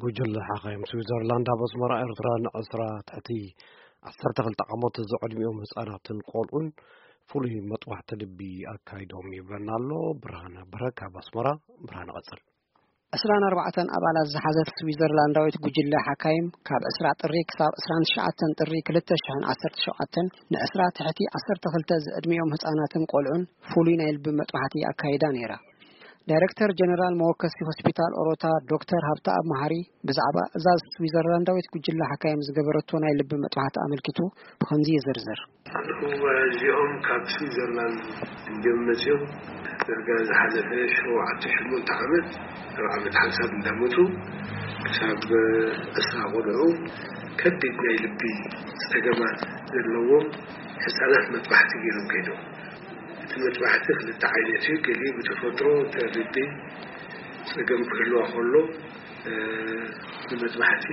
ጉጅለ ሓኻይም ስዊዘርላንድ ኣብ ኣስመራ ኤርትራ ንዕስራ ትሕቲ ዓሰርተ ክልተ ዓመት ዝዕድሚኦም ህጻናትን ቆልዑን ፍሉይ መጥባሕቲ ልቢ ኣካይዶም ይብለና ኣሎ። ብርሃነ በረክ ኣብ ኣስመራ። ብርሃነ ቀጽል። ዕስራን ኣርባዕተን ኣባላት ዝሓዘት ስዊዘርላንዳዊት ጉጅለ ሓካይም ካብ ዕስራ ጥሪ ክሳብ ዕስራን ትሽዓተን ጥሪ ክልተ ሽሕን ዓሰርተ ሸውዓተን ንዕስራ ትሕቲ ዓሰርተ ክልተ ዝዕድሚኦም ህጻናትን ቆልዑን ፍሉይ ናይ ልቢ መጥባሕቲ ኣካይዳ ነይራ። ዳይረክተር ጀነራል መወከሲ ሆስፒታል ኦሮታ ዶክተር ሃብተኣብ መሃሪ ብዛዕባ እዛ ስዊዘርላንዳዊት ጉጅለ ሓካይም ዝገበረቶ ናይ ልቢ መጥባሕቲ ኣመልኪቱ ብኸምዚ ይዝርዝር። እወ፣ እዚኦም ካብ ስዊዘርላንድ እዮም መፅዮም። ዳርጋ ዝሓለፈ ሸውዓተ ሸሞንተ ዓመት፣ ኣብ ዓመት ሓንሳብ እንዳመፁ ክሳብ ዕስራ ቆልዑ ከቢድ ናይ ልቢ ፀገማት ዘለዎም ህፃናት መጥባሕቲ ገይሮም ከይዶም። እቲ መጥባሕቲ ክልተ ዓይነት እዩ። ገሊኡ ብተፈጥሮ እቲ ልቢ ፀገም ክህልዋ ከሎ፣ እ፣ ንመጥባሕቲ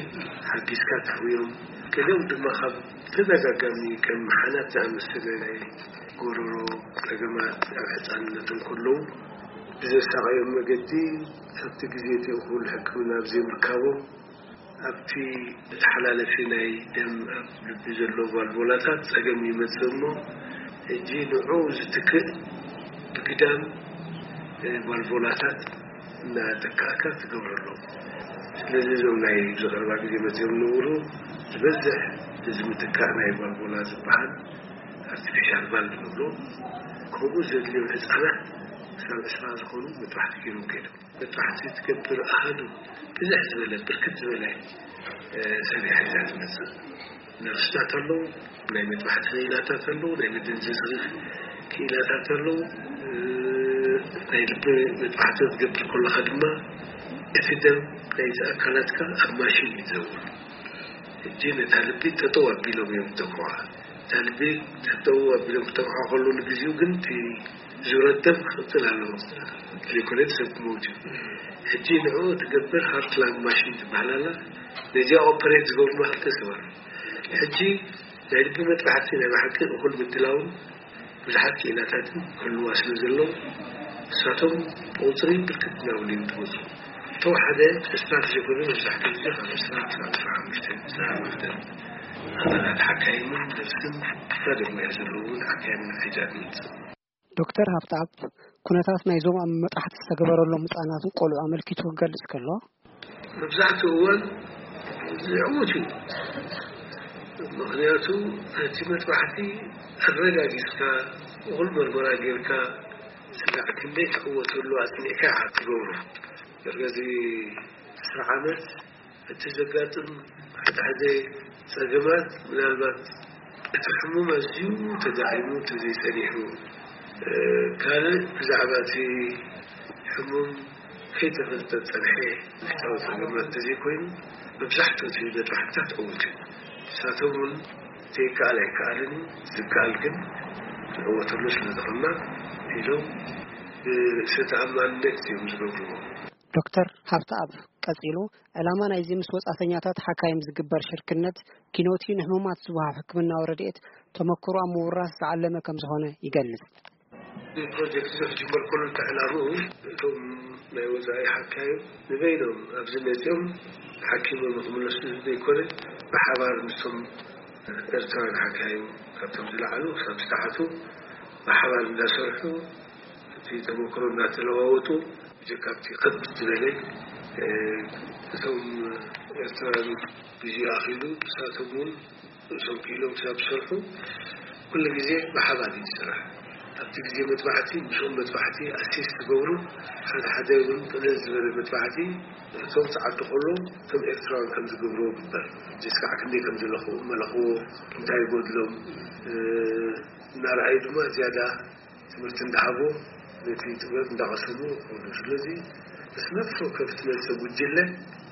ሓጊዝካ ተሕውዮም። ገሊኦም ድማ ካብ ተደጋጋሚ ከም ሓናት ዝኣመሰለ ናይ ጎረሮ ጸገማት ኣብ ሕጻንነት እንከለዉ ብዘሳቐዮም መገዲ ኣብቲ ግዜ እቲ እኹል ሕክምና ብዘይምርካቦም ኣብቲ መተሓላለፊ ናይ ደም ኣብ ልቢ ዘሎ ቫልቮላታት ጸገም ይመጽእ እሞ፣ ሕጂ ንዕኡ ዝትክእ ብግዳም፣ እ፣ ቫልቮላታት እናተካእካ ትገብረሎም። ስለዚ እዞም ናይ ኣብዚ ቀረባ ግዜ መጺኦም ዝነበሩ ዝበዝሕ እዚ ምትካእ ናይ ቫልቮላ ዝበሃል ኣርቲፊሻል ቫልቭ ንብሎ፣ ከምኡ ዘድልዮም ህጻናት ክሳብ ዕስራ ዝኾኑ መጥባሕቲ ገይሮም ከይዶም። መጥባሕቲ ትገብር ኣሃዱ ብዝሕ ዝበለ፣ ብርክት ዝበለ፣ እ፣ ሰብ እያ ሒዛ ትመጽእ። ነርስታት ኣለዉ፣ ናይ መጥባሕቲ ክኢላታት ኣለዉ፣ ናይ መደንዘዚ ክኢላታት ኣለዉ። እ፣ ናይ ልቢ መጥባሕቲ ክትገብር ከለኻ ድማ እቲ ደም ናይቲ ኣካላትካ ኣብ ማሽን እዩ ዝዘውር። ሕጂ ነታ ልቢ ጠጠው ኣቢሎም እዮም ዝተብዕዋ። እታ ልቢ ጠጠው ኣቢሎም ክተብዕዋ ከለዉ ንግዜኡ ግን እቲ ዙረት ደም ክቕጽል ኣለዎ። ዘይኮነ ሰብ ክመውት እዩ። ሕጂ ንዕኡ ትገብር ሃርት ላንግ ማሽን ትበሃል ኣላ። ነዚኣ ኦፐሬት ዝገብሩና ክልተ ሰብ ኣለዉ። ሕጂ ናይ ልቢ መጥባሕቲ ናይ ብሓቂ እኹል ምድላውን ብዙሓት ክኢላታትን ክህልዋ ስለ ዘለዉ፣ ንሳቶም ብቑጽሪ ብርክት እናበሉ እዮም ዝመጹ። እቶም ሓደ ዕስራ ተዘይኮነ መብዛሕትኡ ግዜ ካብ ዕስራ ክሳብ ዕስራ ሓሙሽተ፣ ዕስራ ሓሙሽተ ኣባላት ሓካይምን ነርስን፣ ካልእ ሞያ ዘለዎም ሓካይምን ሒዛ ትመጽእ። ዶክተር ሃብተኣብ፣ ኩነታት ናይዞም ኣብ መጥባሕቲ ዝተገበረሎም ህጻናትን ቆልዑ ኣመልኪቱ ክገልጽ ከሎ፣ መብዛሕትኡ እዋን ዝዕውት እዩ። ምኽንያቱ ነቲ መጥባሕቲ ኣረጋጊጽካ፣ እኹል መርመራ ጌርካ፣ ስጋዕ ክንደይ ትዕወተሉ ኣጽኒዕካ ኢኻ ትገብሮ። ዳርጋ እዚ ዕስራ ዓመት እቲ ዘጋጥም ሓደ ሓደ ጸገማት፣ ምናልባት እቲ ሕሙም ኣዝዩ ተዳዒሙ እንተዘይጸኒሑ፣ እ፣ ካልእ ብዛዕባ እቲ ሕሙም ከይተፈልጠ ዝጸንሐ ውሽጣዊ ጸገማት እንተዘይኮይኑ፣ መብዛሕትኡ እቲ መጥባሕትታት ዕዉት እዩ። ንሳቶም እውን ዘይከኣል ኣይከኣልን እዩ፣ ዝከኣል ግን ንዕወተሉ ስለ ዝኾንና ኢሎም ብርእሰ ተኣማንነት እዮም ዝገብርዎ። ዶክተር ሃብተኣብ ቀጺሉ፣ ዕላማ ናይዚ ምስ ወጻእተኛታት ሓካይም ዝግበር ሽርክነት፣ ኪኖቲ ንሕሙማት ዝወሃብ ሕክምናዊ ረድኤት ተመክሮ ኣብ ምውራስ ዝዓለመ ከም ዝኾነ ይገልጽ። እዚ ፕሮጀክት እዚ ክጅመር ከሎ፣ እቲ ዕላምኡ እቶም ናይ ወጻኢ ሓካይም ንበይኖም ኣብዚ መጺኦም ሓኪሞም ንክምለሱ ዘይኮነ፣ ብሓባር ምስቶም ኤርትራውያን ሓካይም፣ ካብቶም ዝለዓሉ ክሳብ ዝተሓቱ፣ ብሓባር እንዳሰርሑ እቲ ተመክሮ እናተለዋወጡ፣ ብጀካ ኣብቲ ከብድ ዝበለ፣ እ፣ እቶም ኤርትራውያን ግዜ ኣኺሉ፣ ንሳቶም እውን ርእሶም ክኢሎም ክሳብ ዝሰርሑ፣ ኩሉ ግዜ ብሓባር እዩ ዝስራሕ። ኣብቲ ግዜ መጥባሕቲ፣ ምስኦም መጥባሕቲ ኣሲስት ዝገብሩ፣ ሓደ ሓደ እውን ቅልል ዝበለ መጥባሕቲ፣ እቶም ጸዓዱ ከለዉ፣ እቶም ኤርትራውያን ከም ዝገብርዎ ይግበር። ጀስካዕ ክንደይ ከም ዘለኹ፣ መለኽዎ፣ እንታይ ይጎድሎም፣ እ፣ እናረኣዩ ድማ ዝያዳ ትምህርቲ እንዳሃቡ ነቲ ጥበብ እንዳቐሰሙ ይኸዱ። ስለዚ፣ ምስ ነፍሲ ወከፍ እትመጽእ ጉጅለ፣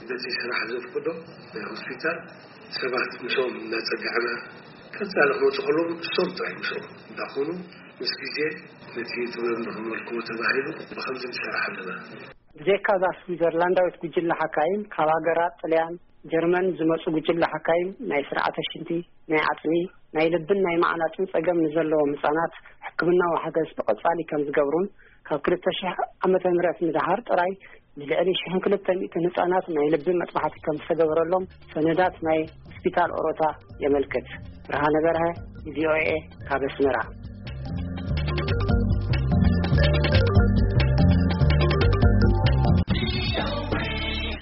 በቲ ስራሕ ዘፍቅዶ ናይ ሆስፒታል ሰባት ምስኦም እናጸጋዕና፣ ቀጻሊ ክመጹ ከለዉ፣ እሶም ጥራይ ምስኦም እንዳኾኑ፣ ምስ ግዜ ነቲ ጥበብ ንኽመልክዎ ተባሂሉ፣ ብኸምዚ ንሰርሕ ኣለና። ብዘይካ እዛ ስዊዘርላንዳዊት ጉጅለ ሓካይም፣ ካብ ሃገራት ጥልያን፣ ጀርመን ዝመጹ ጉጅለ ሓካይም ናይ ስርዓተ ሽንቲ፣ ናይ ዓጽሚ፣ ናይ ልብን ናይ መዓናጥን ጸገም ንዘለዎም ህጻናት ሕክምናዊ ሓገዝ ብቐጻሊ ከም ዝገብሩን ካብ ክልተ ሺሕ ዓመተ ምህረት ንደሓር ጥራይ ንልዕሊ ሽሕን ክልተ ሚእትን ህጻናት ናይ ልቢ መጥባሕቲ ከም ዝተገበረሎም ሰነዳት ናይ ሆስፒታል ኦሮታ የመልክት። ብርሃነ በርሀ፣ ቪኦኤ፣ ካብ ኣስመራ።